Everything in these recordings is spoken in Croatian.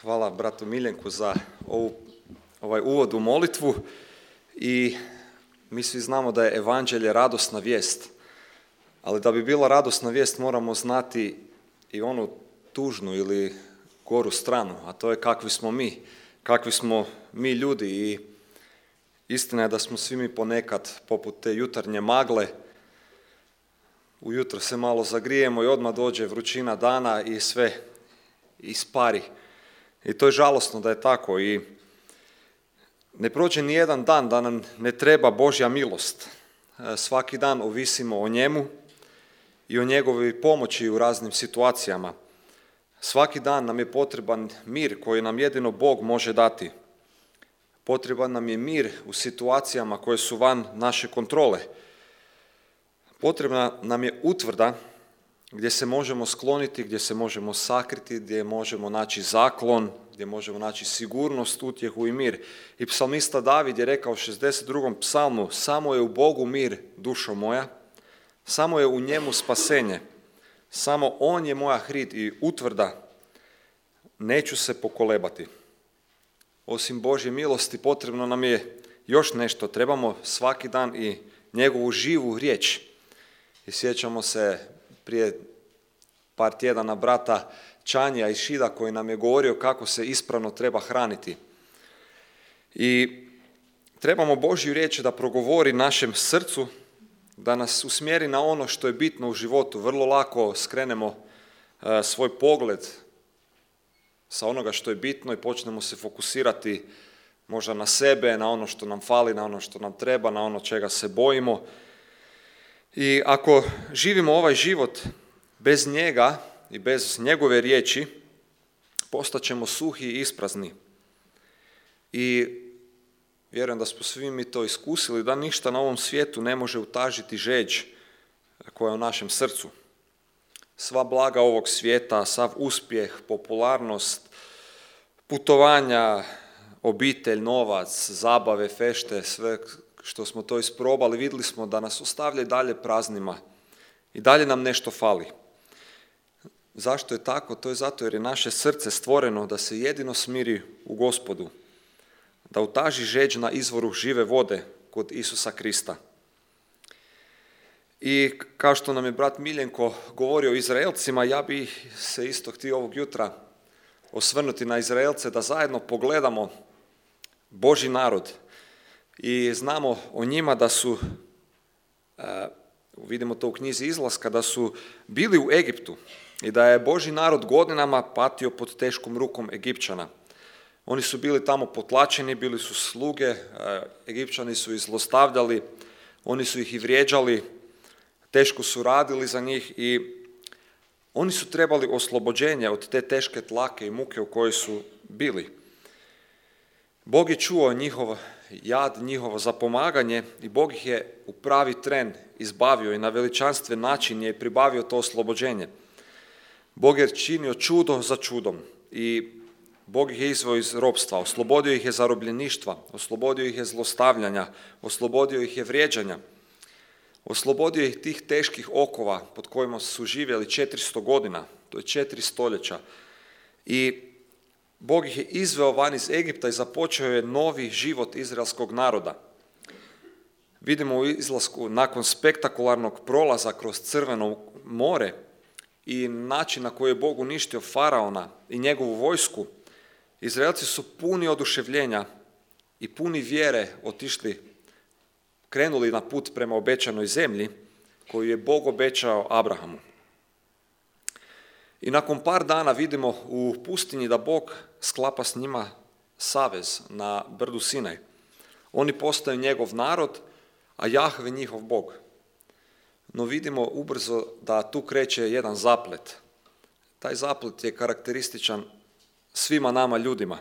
Hvala bratu Miljenku za ovaj uvod u molitvu i mi svi znamo da je evanđelje radosna vijest, ali da bi bila radosna vijest moramo znati i onu tužnu ili goru stranu, a to je kakvi smo mi ljudi i istina je da smo svi mi ponekad poput te jutarnje magle, ujutro se malo zagrijemo i odmah dođe vrućina dana i sve ispari. I to je žalosno da je tako i ne prođe ni jedan dan da nam ne treba Božja milost. Svaki dan ovisimo o njemu i o njegovoj pomoći u raznim situacijama. Svaki dan nam je potreban mir koji nam jedino Bog može dati. Potreban nam je mir u situacijama koje su van naše kontrole. Potrebna nam je utvrda gdje se možemo skloniti, gdje se možemo sakriti, gdje možemo naći zaklon, gdje možemo naći sigurnost, utjehu i mir. I psalmista David je rekao u 62. psalmu: samo je u Bogu mir, dušo moja, samo je u njemu spasenje, samo on je moja hrid i utvrda, neću se pokolebati. Osim Božje milosti potrebno nam je još nešto, trebamo svaki dan i njegovu živu riječ. I sjećamo se prije par tjedana brata Čanja iz Šida koji nam je govorio kako se ispravno treba hraniti. I trebamo Božju riječ da progovori našem srcu, da nas usmjeri na ono što je bitno u životu. Vrlo lako skrenemo svoj pogled sa onoga što je bitno i počnemo se fokusirati možda na sebe, na ono što nam fali, na ono što nam treba, na ono čega se bojimo. I ako živimo ovaj život bez njega i bez njegove riječi, postaćemo suhi i isprazni. I vjerujem da smo svi mi to iskusili, da ništa na ovom svijetu ne može utažiti žeđ koja je u našem srcu. Sva blaga ovog svijeta, sav uspjeh, popularnost, putovanja, obitelj, novac, zabave, fešte, sve što smo to isprobali, vidjeli smo da nas ostavlja i dalje praznima i dalje nam nešto fali. Zašto je tako? To je zato jer je naše srce stvoreno da se jedino smiri u Gospodu, da utaži žeđ na izvoru žive vode kod Isusa Krista. I kao što nam je brat Miljenko govorio o Izraelcima, ja bih se isto htio ovog jutra osvrnuti na Izraelce, da zajedno pogledamo Božji narod i znamo o njima da su, vidimo to u knjizi Izlaska, da su bili u Egiptu i da je Božji narod godinama patio pod teškom rukom Egipćana. Oni su bili tamo potlačeni, bili su sluge, Egipćani su ih zlostavljali, oni su ih i vrijeđali, teško su radili za njih i oni su trebali oslobođenje od te teške tlake i muke u kojoj su bili. Bog je čuo njihov jad, njihovo zapomaganje i Bog ih je u pravi tren izbavio i na veličanstven način je pribavio to oslobođenje. Bog je činio čudo za čudom i Bog ih je izveo iz ropstva, oslobodio ih je zarobljeništva, oslobodio ih je zlostavljanja, oslobodio ih je vrijeđanja, oslobodio ih tih teških okova pod kojima su živjeli 400 godina, to je 4 stoljeća. I Bog ih je izveo van iz Egipta i započeo je novi život izraelskog naroda. Vidimo u Izlasku, nakon spektakularnog prolaza kroz Crveno more i način na koji je Bog uništio faraona i njegovu vojsku, Izraelci su puni oduševljenja i puni vjere krenuli na put prema obećanoj zemlji koju je Bog obećao Abrahamu. I nakon par dana vidimo u pustinji da Bog sklapa s njima savez na brdu Sinaj. Oni postaju njegov narod, a Jahve njihov Bog. No vidimo ubrzo da tu kreće jedan zaplet. Taj zaplet je karakterističan svima nama ljudima.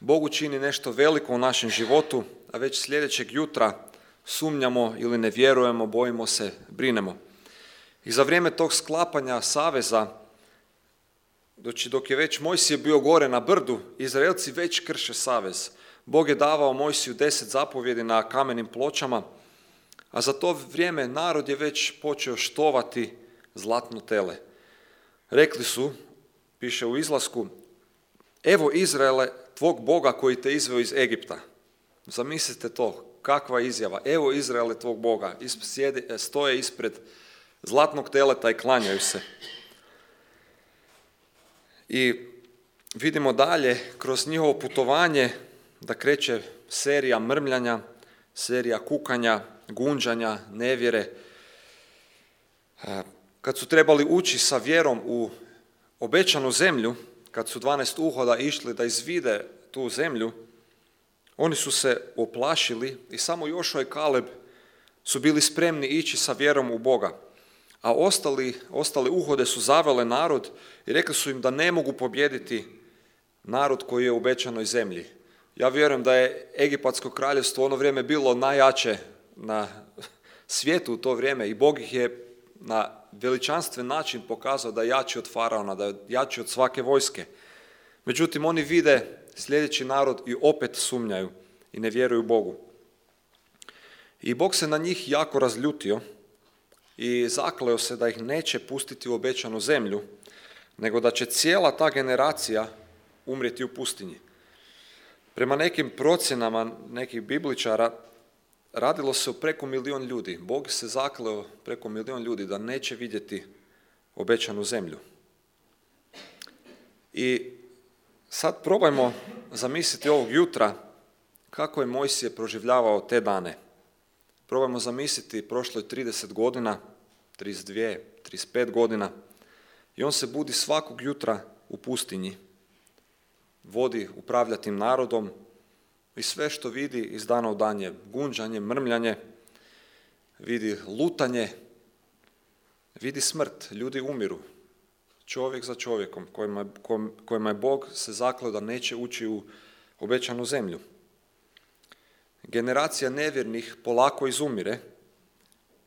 Bog učini nešto veliko u našem životu, a već sljedećeg jutra sumnjamo ili ne vjerujemo, bojimo se, brinemo. I za vrijeme tog sklapanja saveza, dok je već Mojsije bio gore na brdu, Izraelci već krše savez. Bog je davao Mojsiju 10 zapovjedi na kamenim pločama, a za to vrijeme narod je već počeo štovati zlatno tele. Rekli su, piše u Izlasku, evo Izraele, tvog Boga koji te izveo iz Egipta. Zamislite to, kakva izjava. Evo Izraele, tvog Boga. Stoje ispred zlatnog teleta i klanjaju se. I vidimo dalje, kroz njihovo putovanje, da kreće serija mrmljanja, serija kukanja, gunđanja, nevjere. Kad su trebali ući sa vjerom u obećanu zemlju, kad su 12 uhoda išli da izvide tu zemlju, oni su se oplašili i samo Jošua i Kaleb su bili spremni ići sa vjerom u Boga. A ostale uhode su zavele narod i rekli su im da ne mogu pobijediti narod koji je u obećanoj zemlji. Ja vjerujem da je Egipatsko kraljevstvo u ono vrijeme bilo najjače na svijetu u to vrijeme i Bog ih je na veličanstven način pokazao da je jači od faraona, da je jači od svake vojske. Međutim, oni vide sljedeći narod i opet sumnjaju i ne vjeruju Bogu. I Bog se na njih jako razljutio i zakleo se da ih neće pustiti u obećanu zemlju, nego da će cijela ta generacija umrijeti u pustinji. Prema nekim procjenama nekih bibličara, radilo se o preko 1 milijun ljudi. Bog se zakleo preko 1 milijun ljudi da neće vidjeti obećanu zemlju. I sad probajmo zamisliti ovog jutra kako je Mojsije proživljavao te dane. Probajmo zamisliti, prošlo je 30 godina, 32, 35 godina i on se budi svakog jutra u pustinji, upravlja tim narodom i sve što vidi iz dana u dan je gunđanje, mrmljanje, vidi lutanje, vidi smrt, ljudi umiru, čovjek za čovjekom kojima je Bog se zakleo da neće ući u obećanu zemlju. Generacija nevjernih polako izumire,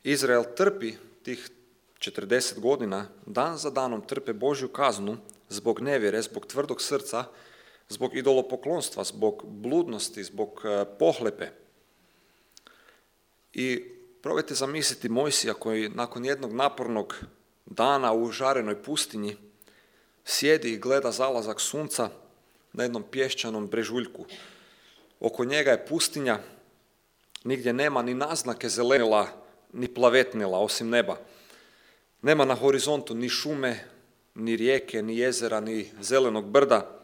Izrael trpi tih 40 godina, dan za danom trpe Božju kaznu zbog nevjere, zbog tvrdog srca, zbog idolopoklonstva, zbog bludnosti, zbog pohlepe. I probajte zamisliti Mojsija koji nakon jednog napornog dana u žarenoj pustinji sjedi i gleda zalazak sunca na jednom pješčanom brežuljku. Oko njega je pustinja, nigdje nema ni naznake zelenila, ni plavetnila, osim neba. Nema na horizontu ni šume, ni rijeke, ni jezera, ni zelenog brda.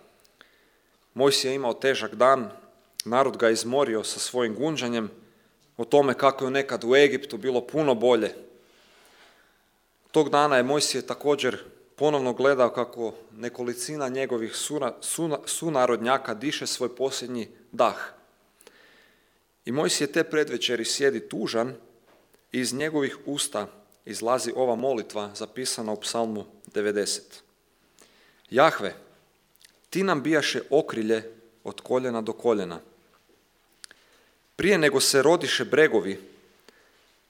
Mojsije je imao težak dan, narod ga je izmorio sa svojim gunđanjem o tome kako je nekad u Egiptu bilo puno bolje. Tog dana je Mojsije također ponovno gledao kako nekolicina njegovih sunarodnjaka diše svoj posljednji dah. I Mojsije te predvečeri sjedi tužan i iz njegovih usta izlazi ova molitva zapisana u Psalmu 90. Jahve, ti nam bijaše okrilje od koljena do koljena. Prije nego se rodiše bregovi,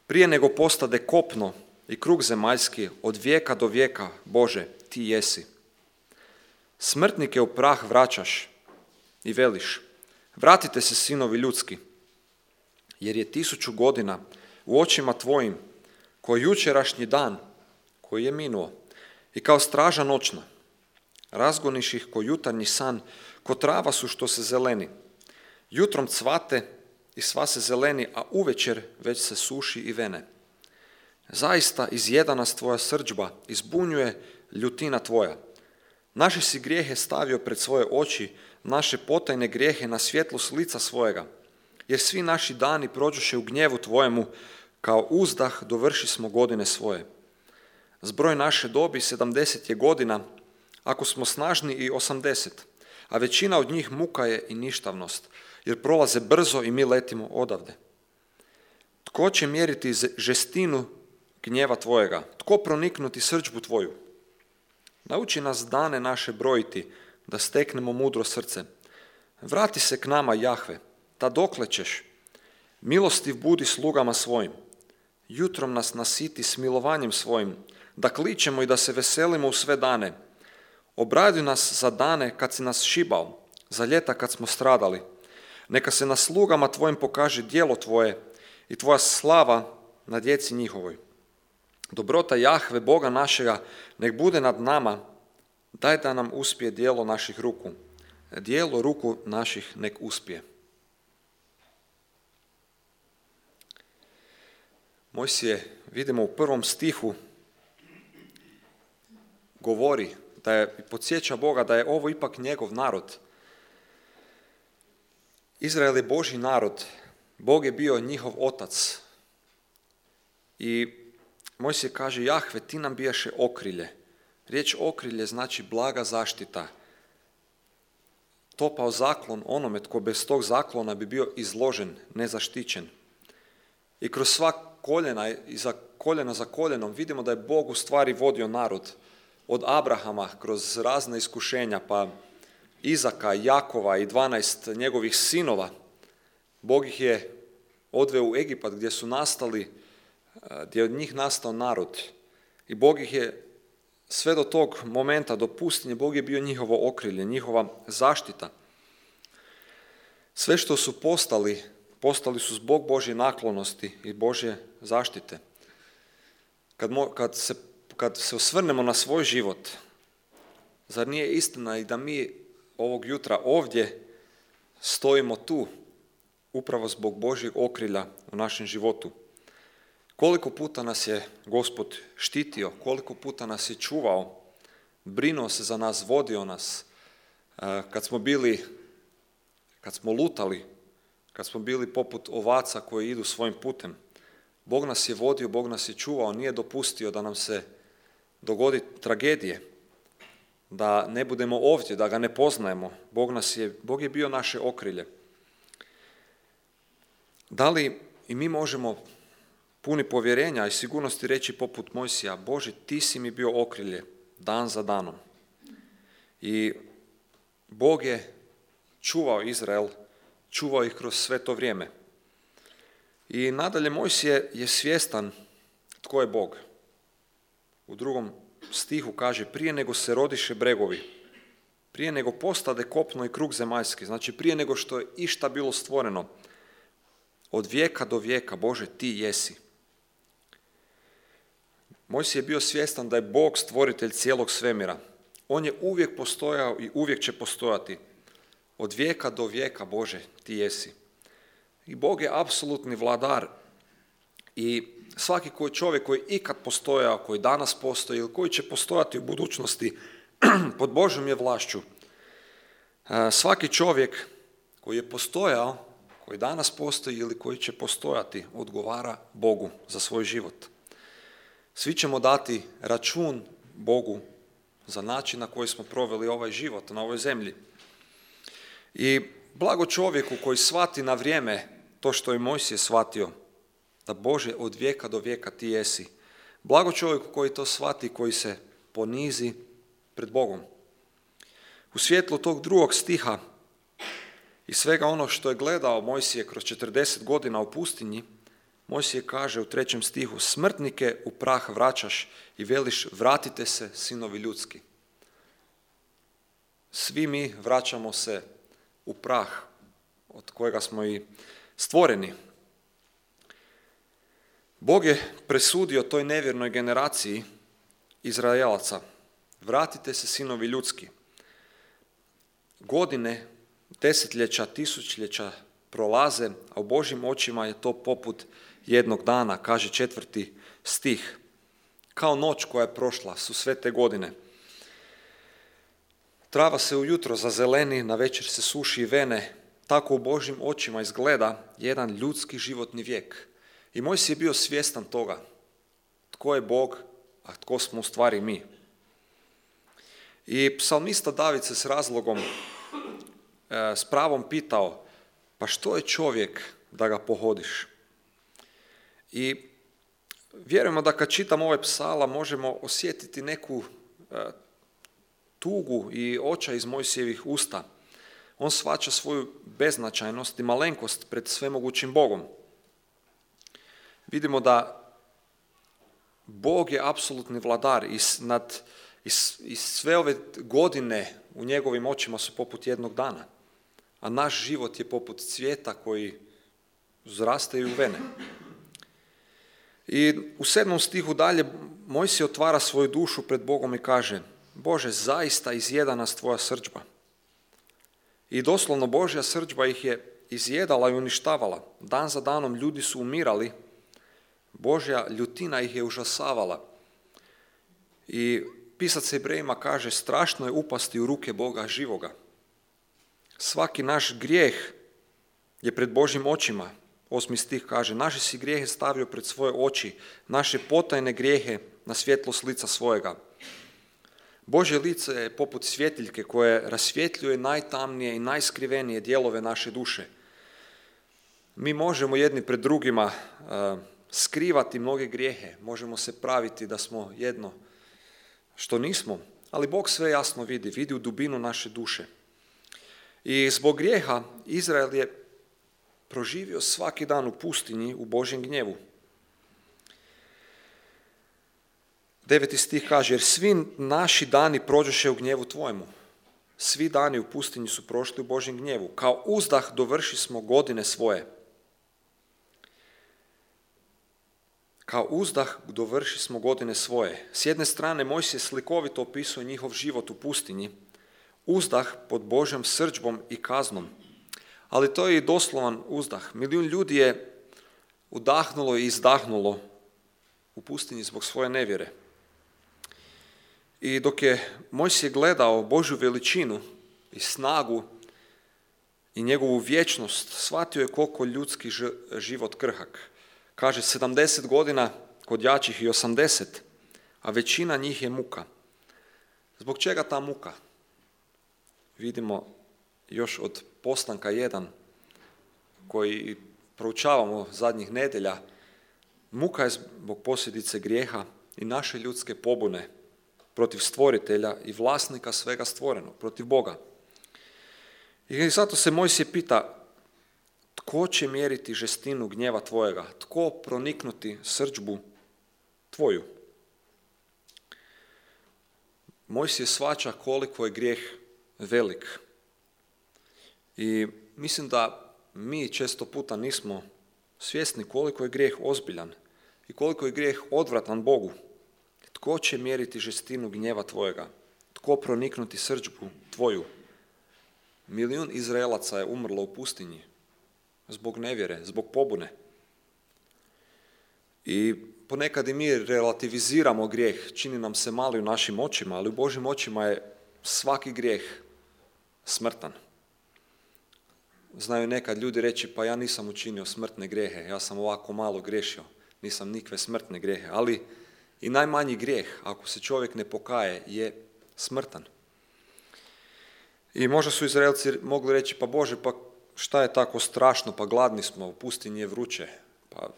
prije nego postade kopno i krug zemaljski, od vijeka do vijeka, Bože, ti jesi. Smrtnike u prah vraćaš i veliš, vratite se sinovi ljudski, jer je 1000 godina u očima tvojim, ko jučerašnji dan koji je minuo i kao straža noćna. Razgoniš ih ko jutarnji san, ko trava su što se zeleni. Jutrom cvate i sva se zeleni, a uvečer već se suši i vene. Zaista izjeda nas tvoja srdžba, izbunjuje ljutina tvoja. Naše si grijehe stavio pred svoje oči, naše potajne grijehe na svjetlost lica svojega. Jer svi naši dani prođoše u gnjevu tvojemu, kao uzdah dovrši smo godine svoje. Zbroj naše dobi 70 je godina, ako smo snažni i 80, a većina od njih muka je i ništavnost, jer prolaze brzo i mi letimo odavde. Tko će mjeriti žestinu gnjeva tvojega? Tko proniknuti srdžbu tvoju? Nauči nas dane naše brojiti, da steknemo mudro srce. Vrati se k nama, Jahve, ta dokle ćeš? Milostiv budi slugama svojim. Jutrom nas nasiti smilovanjem svojim, da kličemo i da se veselimo u sve dane. Obraduj nas za dane kad si nas šibao, za ljeta kad smo stradali. Neka se na slugama tvojim pokaže djelo tvoje i tvoja slava na djeci njihovoj. Dobrota Jahve, Boga našega, nek bude nad nama, daj da nam uspije djelo naših ruku. dijelo ruku naših nek uspije. Mojsije, vidimo u 1. stihu, govori da je, podsjeća Boga da je ovo ipak njegov narod. Izrael je Božji narod, Bog je bio njihov otac. I Mojsije kaže, Jahve, ti nam bijaše okrilje. Riječ okrilje znači blaga zaštita. Topao zaklon onome tko bez tog zaklona bi bio izložen, nezaštićen. I kroz sva koljena i koljena za koljenom vidimo da je Bog u stvari vodio narod. Od Abrahama kroz razne iskušenja, pa Izaka, Jakova i 12 njegovih sinova. Bog ih je odveo u Egipat gdje su nastali, gdje je od njih nastao narod. I Bog ih je sve do tog momenta, do pustinje, Bog je bio njihovo okrilje, njihova zaštita. Sve što su postali su zbog Božje naklonosti i Božje zaštite. Kad se osvrnemo na svoj život, zar nije istina i da mi ovog jutra ovdje stojimo tu upravo zbog Božjeg okrilja u našem životu? Koliko puta nas je Gospod štitio, koliko puta nas je čuvao, brinuo se za nas, vodio nas, kad smo lutali, kad smo bili poput ovaca koji idu svojim putem. Bog nas je vodio, Bog nas je čuvao, nije dopustio da nam se dogodi tragedije, da ne budemo ovdje, da ga ne poznajemo. Bog je bio naše okrilje. Da li i mi možemo puni povjerenja i sigurnosti reći poput Mojsija, Bože, ti si mi bio okrilje dan za danom. I Bog je čuvao Izrael, čuvao ih kroz sve to vrijeme. I nadalje Mojsije je svjestan tko je Bog. U 2. stihu kaže, prije nego se rodiše bregovi, prije nego postade kopno i krug zemaljski, znači prije nego što je išta bilo stvoreno, od vijeka do vijeka, Bože, ti jesi. Mojsije je bio svjestan da je Bog stvoritelj cijelog svemira. On je uvijek postojao i uvijek će postojati. Od vijeka do vijeka, Bože, ti jesi. I Bog je apsolutni vladar i svaki čovjek koji ikad postojao, koji danas postoji ili koji će postojati u budućnosti pod Božjom je vlašću. Svaki čovjek koji je postojao, koji danas postoji ili koji će postojati, odgovara Bogu za svoj život. Svi ćemo dati račun Bogu za način na koji smo proveli ovaj život na ovoj zemlji. I blago čovjeku koji shvati na vrijeme to što je Mojsije shvatio, da Bože, od vijeka do vijeka ti jesi. Blago čovjeku koji to shvati, koji se ponizi pred Bogom. U svjetlu tog 2. stiha i svega ono što je gledao Mojsije kroz 40 godina u pustinji, Mojsije kaže u 3. stihu, smrtnike u prah vraćaš i veliš, vratite se, sinovi ljudski. Svi mi vraćamo se u prah od kojega smo i stvoreni. Bog je presudio toj nevjernoj generaciji Izraelaca, vratite se, sinovi ljudski. Godine, desetljeća, tisućljeća prolaze, a u Božjim očima je to poput jednog dana, kaže 4. stih. Kao noć koja je prošla su sve te godine. Trava se ujutro zazeleni, na večer se suši i vene. Tako u Božjim očima izgleda jedan ljudski životni vijek. I Mojsije je bio svjestan toga. Tko je Bog, a tko smo u stvari mi. I psalmista David se s razlogom, s pravom pitao, pa što je čovjek da ga pohodiš? I vjerujemo da kad čitamo ovaj psala možemo osjetiti neku tugu i očaj iz Mojsijevih usta. On shvaća svoju beznačajnost i malenkost pred svemogućim Bogom. Vidimo da Bog je apsolutni vladar i sve ove godine u njegovim očima su poput jednog dana, a naš život je poput cvijeta koji uzrastaju u vene. I u 7. stihu dalje Mojsije otvara svoju dušu pred Bogom i kaže, Bože, zaista izjeda nas tvoja srdžba. I doslovno Božja srdžba ih je izjedala i uništavala. Dan za danom ljudi su umirali, Božja ljutina ih je užasavala. I pisac Hebrejima kaže, strašno je upasti u ruke Boga živoga. Svaki naš grijeh je pred Božjim očima. 8. stih kaže, naše si grijehe stavio pred svoje oči, naše potajne grijehe na svjetlost lica svojega. Božje lice je poput svjetiljke koje rasvjetljuje najtamnije i najskrivenije dijelove naše duše. Mi možemo jedni pred drugima skrivati mnoge grijehe, možemo se praviti da smo jedno što nismo, ali Bog sve jasno vidi u dubinu naše duše. I zbog grijeha Izrael je proživio svaki dan u pustinji u Božjem gnjevu. 9. stih kaže, jer svi naši dani prođoše u gnjevu tvojemu. Svi dani u pustinji su prošli u Božjem gnjevu. Kao uzdah dovrši smo godine svoje. Kao uzdah dovrši smo godine svoje. S jedne strane Mojsije slikovito opisuje njihov život u pustinji. Uzdah pod Božjom srdžbom i kaznom. Ali to je i doslovan uzdah. Milijun ljudi je udahnulo i izdahnulo u pustinji zbog svoje nevjere. I dok je Mojsije gledao Božju veličinu i snagu i njegovu vječnost, shvatio je koliko ljudski život krhak. Kaže, 70 godina kod jačih i 80, a većina njih je muka. Zbog čega ta muka? Vidimo još od Postanka 1, koji proučavamo zadnjih nedjelja, muka je zbog posljedice grijeha i naše ljudske pobune protiv stvoritelja i vlasnika svega stvorenog, protiv Boga. I zato se Mojsije pita, tko će mjeriti žestinu gnjeva tvojega? Tko proniknuti srdžbu tvoju? Mojsije shvaća koliko je grijeh velik. I mislim da mi često puta nismo svjesni koliko je grijeh ozbiljan i koliko je grijeh odvratan Bogu. Tko će mjeriti žestinu gnjeva tvojega? Tko proniknuti srdžbu tvoju? 1 milijun Izraelaca je umrlo u pustinji zbog nevjere, zbog pobune. I ponekad i mi relativiziramo grijeh, čini nam se mali u našim očima, ali u Božjim očima je svaki grijeh smrtan. Znaju nekad ljudi reći, pa ja nisam učinio smrtne grijehe, ja sam ovako malo griješio, nisam nikve smrtne grijehe, ali i najmanji grijeh, ako se čovjek ne pokaje, je smrtan. I možda su Izraelci mogli reći, pa Bože, pa šta je tako strašno, pa gladni smo, u pustinji je vruće, pa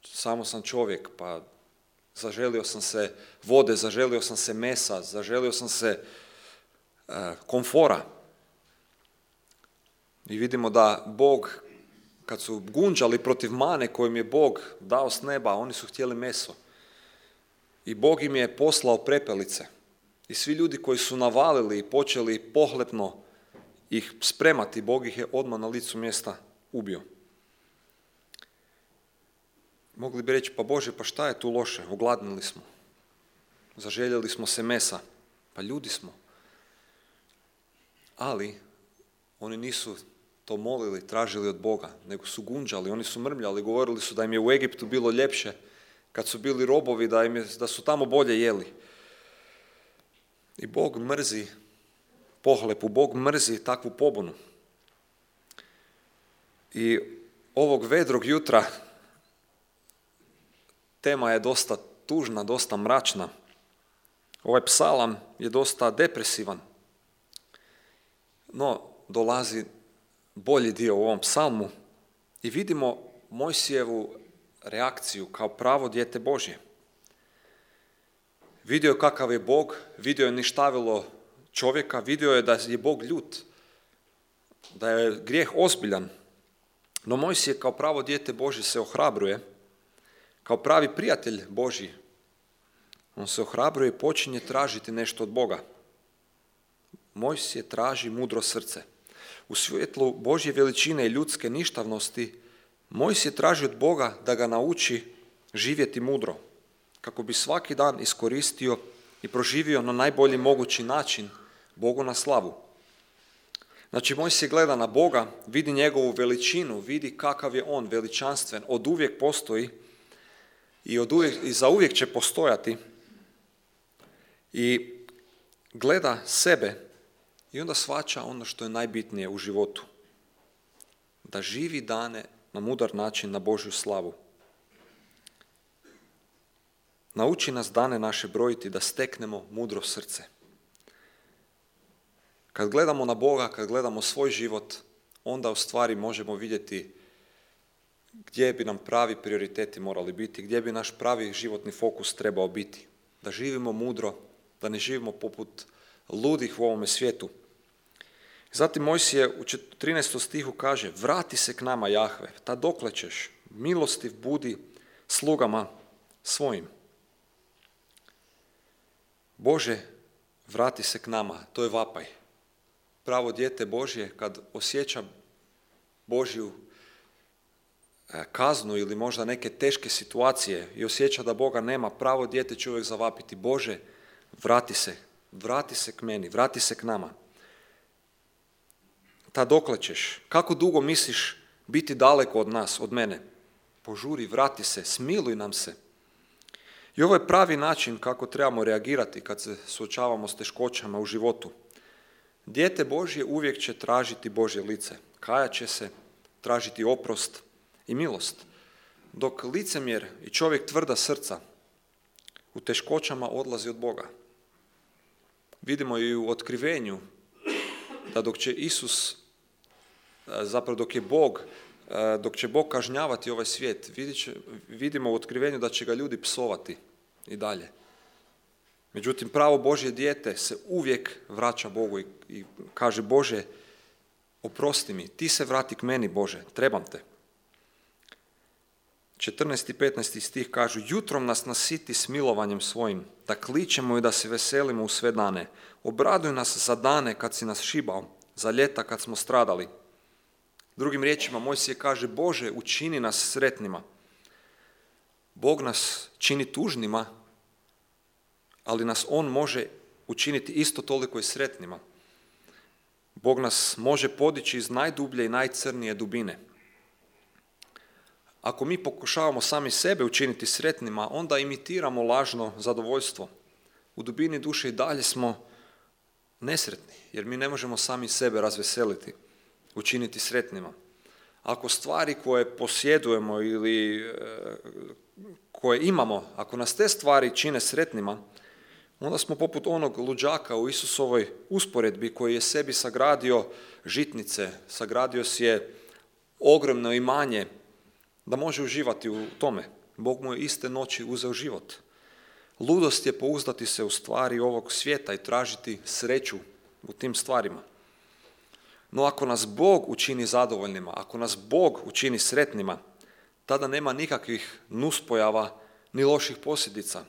samo sam čovjek, pa zaželio sam se vode, zaželio sam se mesa, zaželio sam se komfora. I vidimo da Bog, kad su gunđali protiv mane kojim je Bog dao s neba, oni su htjeli meso. I Bog im je poslao prepelice. I svi ljudi koji su navalili i počeli pohlepno ih spremati, Bog ih je odmah na licu mjesta ubio. Mogli bi reći, pa Bože, pa šta je tu loše? Ogladnili smo. Zaželjeli smo se mesa. Pa ljudi smo. Ali oni nisu to molili, tražili od Boga, nego su gunđali, oni su mrmljali, govorili su da im je u Egiptu bilo ljepše, kad su bili robovi, da su tamo bolje jeli. I Bog mrzi pohlepu, Bog mrzi takvu pobunu. I ovog vedrog jutra tema je dosta tužna, dosta mračna. Ovaj psalam je dosta depresivan. No, dolazi bolji dio u ovom psalmu i vidimo Mojsijevu reakciju kao pravo dijete Božje. Vidio je kakav je Bog, vidio je ništavilo čovjeka, vidio je da je Bog ljut, da je grijeh ozbiljan. No Mojsije kao pravo dijete Božje se ohrabruje, kao pravi prijatelj Božji. On se ohrabruje i počinje tražiti nešto od Boga. Mojsije traži mudro srce. U svjetlu Božje veličine i ljudske ništavnosti, Mojsije traži od Boga da ga nauči živjeti mudro, kako bi svaki dan iskoristio i proživio na najbolji mogući način Bogu na slavu. Znači, Mojsije gleda na Boga, vidi njegovu veličinu, vidi kakav je on veličanstven, od uvijek postoji i zauvijek će postojati. I gleda sebe i onda shvaća ono što je najbitnije u životu. Da živi dane na mudar način, na Božju slavu. Nauči nas dane naše brojiti da steknemo mudro srce. Kad gledamo na Boga, kad gledamo svoj život, onda u stvari možemo vidjeti gdje bi nam pravi prioriteti morali biti, gdje bi naš pravi životni fokus trebao biti. Da živimo mudro, da ne živimo poput ludih u ovome svijetu. Zatim Mojsije u 13. stihu kaže: vrati se k nama, Jahve, ta dokle ćeš, milostiv budi slugama svojim. Bože, vrati se k nama, to je vapaj. Pravo dijete Božje kad osjeća Božju kaznu ili možda neke teške situacije i osjeća da Boga nema, pravo dijete će uvijek zavapiti: Bože, vrati se k meni, vrati se k nama. Ta dokle ćeš, kako dugo misliš biti daleko od nas, od mene? Požuri, vrati se, smiluj nam se. I ovo je pravi način kako trebamo reagirati kad se suočavamo s teškoćama u životu. Dijete Božje uvijek će tražiti Božje lice, kajat će se, tražiti oprost i milost. Dok licemjer i čovjek tvrda srca u teškoćama odlazi od Boga. Vidimo i u otkrivenju da dok će Bog kažnjavati ovaj svijet, vidimo u otkrivenju da će ga ljudi psovati i dalje. Međutim, pravo Božje dijete se uvijek vraća Bogu i kaže: Bože, oprosti mi, ti se vrati k meni, Bože, trebam te. 14. i 15. stih kažu: jutrom nas nasiti smilovanjem svojim, da kličemo i da se veselimo u sve dane. Obraduj nas za dane kad si nas šibao, za ljeta kad smo stradali. Drugim riječima, Mojsije kaže: Bože, učini nas sretnima. Bog nas čini tužnima, ali nas On može učiniti isto toliko i sretnima. Bog nas može podići iz najdublje i najcrnije dubine. Ako mi pokušavamo sami sebe učiniti sretnima, onda imitiramo lažno zadovoljstvo. U dubini duše i dalje smo nesretni, jer mi ne možemo sami sebe razveseliti, učiniti sretnima. Ako stvari koje posjedujemo ili koje imamo, ako nas te stvari čine sretnima, onda smo poput onog luđaka u Isusovoj usporedbi koji je sebi sagradio žitnice, sagradio si je ogromno imanje da može uživati u tome. Bog mu je iste noći uzeo život. Ludost je pouzdati se u stvari ovog svijeta i tražiti sreću u tim stvarima. No ako nas Bog učini zadovoljnima, ako nas Bog učini sretnima, tada nema nikakvih nuspojava ni loših posljedica.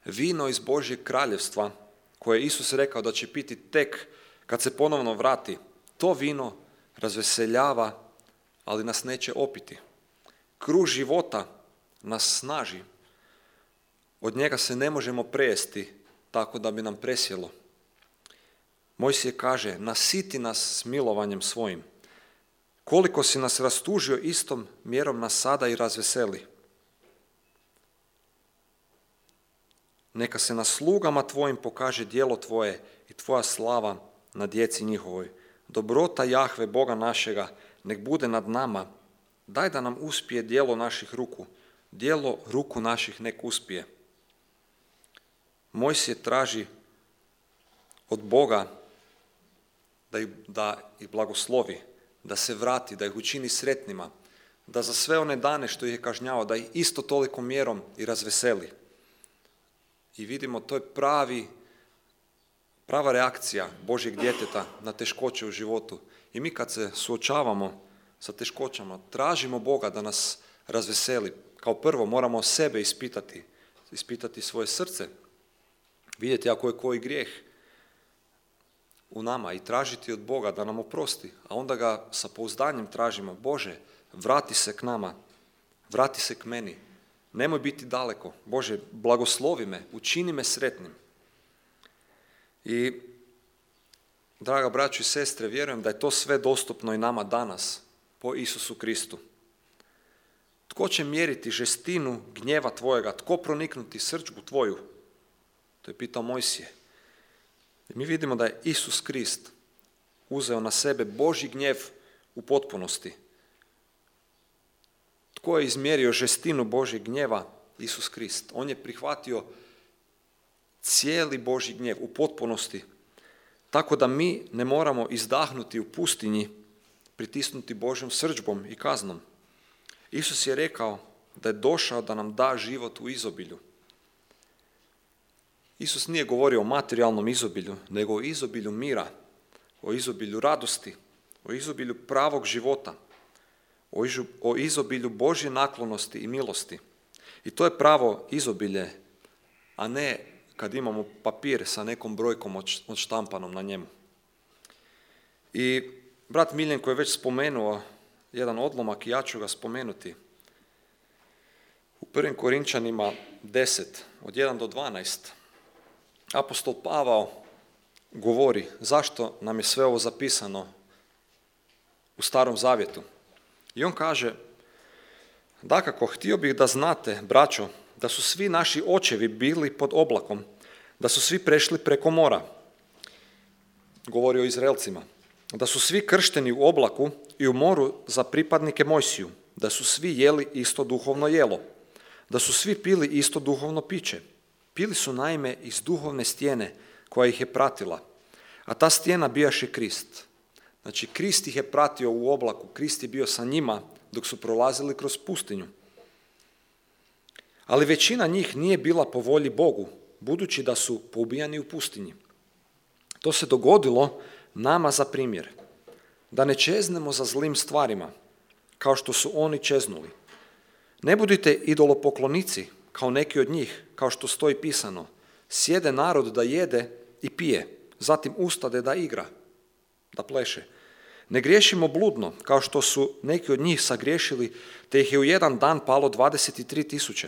Vino iz Božjeg kraljevstva, koje je Isus rekao da će piti tek kad se ponovno vrati, to vino razveseljava, ali nas neće opiti. Kruh života nas snaži. Od njega se ne možemo prejesti tako da bi nam presjelo. Mojsije kaže: nasiti nas smilovanjem svojim. Koliko si nas rastužio, istom mjerom nas sada i razveseli. Neka se na slugama tvojim pokaže djelo tvoje i tvoja slava na djeci njihovoj. Dobrota Jahve, Boga našega, nek bude nad nama. Daj da nam uspije djelo naših ruku. Djelo ruku naših nek uspije. Mojsije traži od Boga da ih blagoslovi, da se vrati, da ih učini sretnima, da za sve one dane što ih je kažnjavao, da ih isto toliko mjerom i razveseli. I vidimo, to je prava reakcija Božjeg djeteta na teškoće u životu. I mi kad se suočavamo sa teškoćama, tražimo Boga da nas razveseli. Kao prvo moramo sebe ispitati svoje srce, vidjeti ako je koji grijeh u nama i tražiti od Boga da nam oprosti, a onda ga sa pouzdanjem tražimo: Bože, vrati se k nama, vrati se k meni, nemoj biti daleko, Bože, blagoslovi me, učini me sretnim. I Draga braćo i sestre, vjerujem da je to sve dostupno i nama danas po Isusu Kristu. Tko će mjeriti žestinu gnjeva tvojega? Tko proniknuti srđbu tvoju? To je pitao Mojsije. I mi vidimo da je Isus Krist uzeo na sebe Božji gnjev u potpunosti. Tko je izmjerio žestinu Božjeg gnjeva? Isus Krist. On je prihvatio cijeli Božji gnjev u potpunosti, tako da mi ne moramo izdahnuti u pustinji, pritisnuti Božjom srdžbom i kaznom. Isus je rekao da je došao da nam da život u izobilju. Isus nije govorio o materijalnom izobilju, nego o izobilju mira, o izobilju radosti, o izobilju pravog života, o izobilju Božje naklonosti i milosti. I to je pravo izobilje, a ne kad imamo papir sa nekom brojkom odštampanom na njemu. I brat Miljenko je već spomenuo jedan odlomak i ja ću ga spomenuti. U 1. Korinčanima 10, od 1 do 12, apostol Pavao govori zašto nam je sve ovo zapisano u Starom Zavjetu. I on kaže: dakako, htio bih da znate, braćo, da su svi naši očevi bili pod oblakom, da su svi prešli preko mora. Govori o Izraelcima. Da su svi kršteni u oblaku i u moru za pripadnike Mojsiju, da su svi jeli isto duhovno jelo, da su svi pili isto duhovno piće. Pili su naime iz duhovne stijene koja ih je pratila, a ta stijena bijaše Krist. Znači, Krist ih je pratio u oblaku, Krist je bio sa njima dok su prolazili kroz pustinju. Ali većina njih nije bila po volji Bogu, budući da su poubijani u pustinji. To se dogodilo nama za primjer, da ne čeznemo za zlim stvarima, kao što su oni čeznuli. Ne budite idolopoklonici, kao neki od njih, kao što stoji pisano: sjede narod da jede i pije, zatim ustade da igra, da pleše. Ne griješimo bludno, kao što su neki od njih sagriješili, te ih je u jedan dan palo 23.000.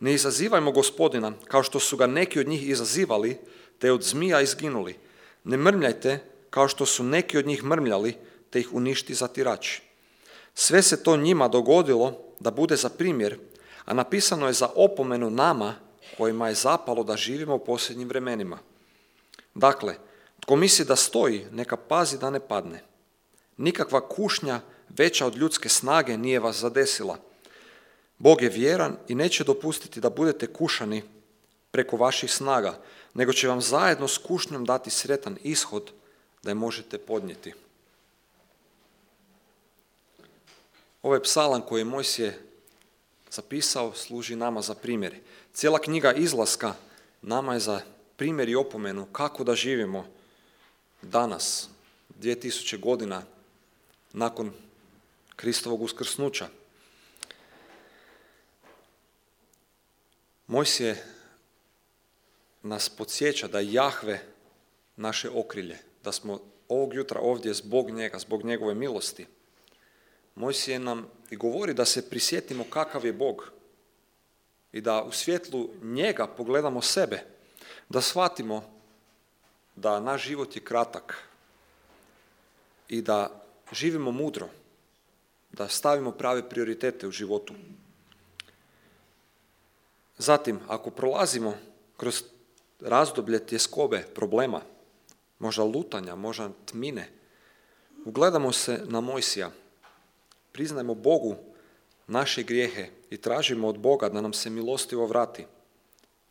Ne izazivajmo Gospodina, kao što su ga neki od njih izazivali, te od zmija izginuli. Ne mrmljajte, kao što su neki od njih mrmljali, te ih uništi zatirač. Sve se to njima dogodilo da bude za primjer, a napisano je za opomenu nama, kojima je zapalo da živimo u posljednjim vremenima. Dakle, tko misli da stoji, neka pazi da ne padne. Nikakva kušnja veća od ljudske snage nije vas zadesila. Bog je vjeran i neće dopustiti da budete kušani preko vaših snaga, nego će vam zajedno s kušnjom dati sretan ishod da je možete podnijeti. Ovaj psalam koji je Mojsije zapisao služi nama za primjer. Cijela knjiga Izlaska nama je za primjer i opomenu kako da živimo danas, 2000 godina nakon Kristovog uskrsnuća. Mojsije nas podsjeća da je Jahve naše okrilje, da smo ovog jutra ovdje zbog njega, zbog njegove milosti. Mojsije nam i govori da se prisjetimo kakav je Bog i da u svjetlu njega pogledamo sebe, da shvatimo da naš život je kratak i da živimo mudro, da stavimo prave prioritete u životu. Zatim, ako prolazimo kroz razdoblje tjeskobe, problema, možda lutanja, možda tmine, ugledamo se na Mojsija, priznajmo Bogu naše grijehe i tražimo od Boga da nam se milostivo vrati.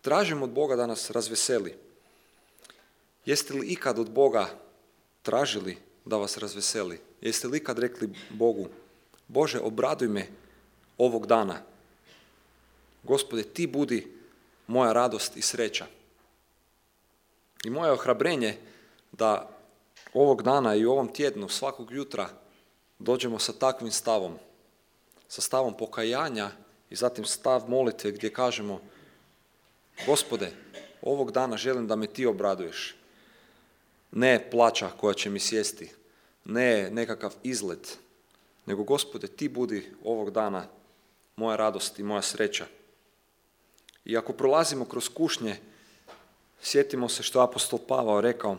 Tražimo od Boga da nas razveseli. Jeste li ikad od Boga tražili da vas razveseli? Jeste li ikad rekli Bogu: Bože, obraduj me ovog dana. Gospode, ti budi moja radost i sreća. I moje ohrabrenje da ovog dana i u ovom tjednu, svakog jutra, dođemo sa takvim stavom, sa stavom pokajanja i zatim stav molitve gdje kažemo: Gospode, ovog dana želim da me ti obraduješ. Ne plaća koja će mi sjesti, ne nekakav izlet, nego Gospode, ti budi ovog dana moja radost i moja sreća. I ako prolazimo kroz kušnje, sjetimo se što je apostol Pavao rekao,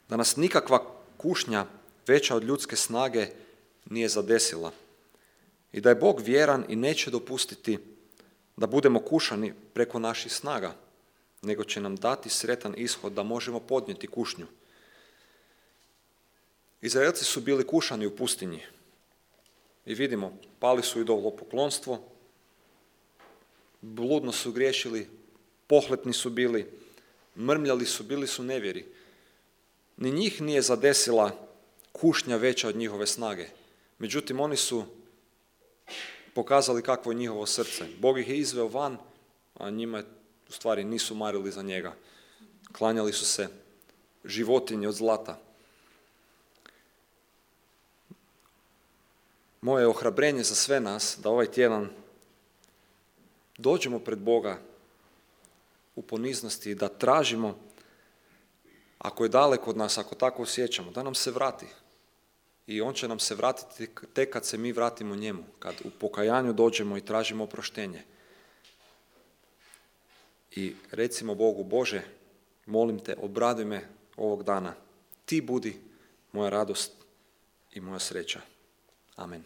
da nas nikakva kušnja veća od ljudske snage nije zadesila i da je Bog vjeran i neće dopustiti da budemo kušani preko naših snaga, nego će nam dati sretan ishod da možemo podnijeti kušnju. Izraelci su bili kušani u pustinji i vidimo, pali su idolopoklonstvo, bludno su griješili, pohlepni su bili, mrmljali su, bili su nevjeri. Ni njih nije zadesila kušnja veća od njihove snage. Međutim, oni su pokazali kakvo je njihovo srce. Bog ih je izveo van, a njima u stvari nisu marili za njega. Klanjali su se životinji od zlata. Moje ohrabrenje za sve nas da ovaj tjedan dođemo pred Boga u poniznosti i da tražimo, ako je daleko od nas, ako tako osjećamo, da nam se vrati. I on će nam se vratiti tek kad se mi vratimo njemu, kad u pokajanju dođemo i tražimo oproštenje. I recimo Bogu, Bože, molim te, obraduj me ovog dana. Ti budi moja radost i moja sreća. Amen.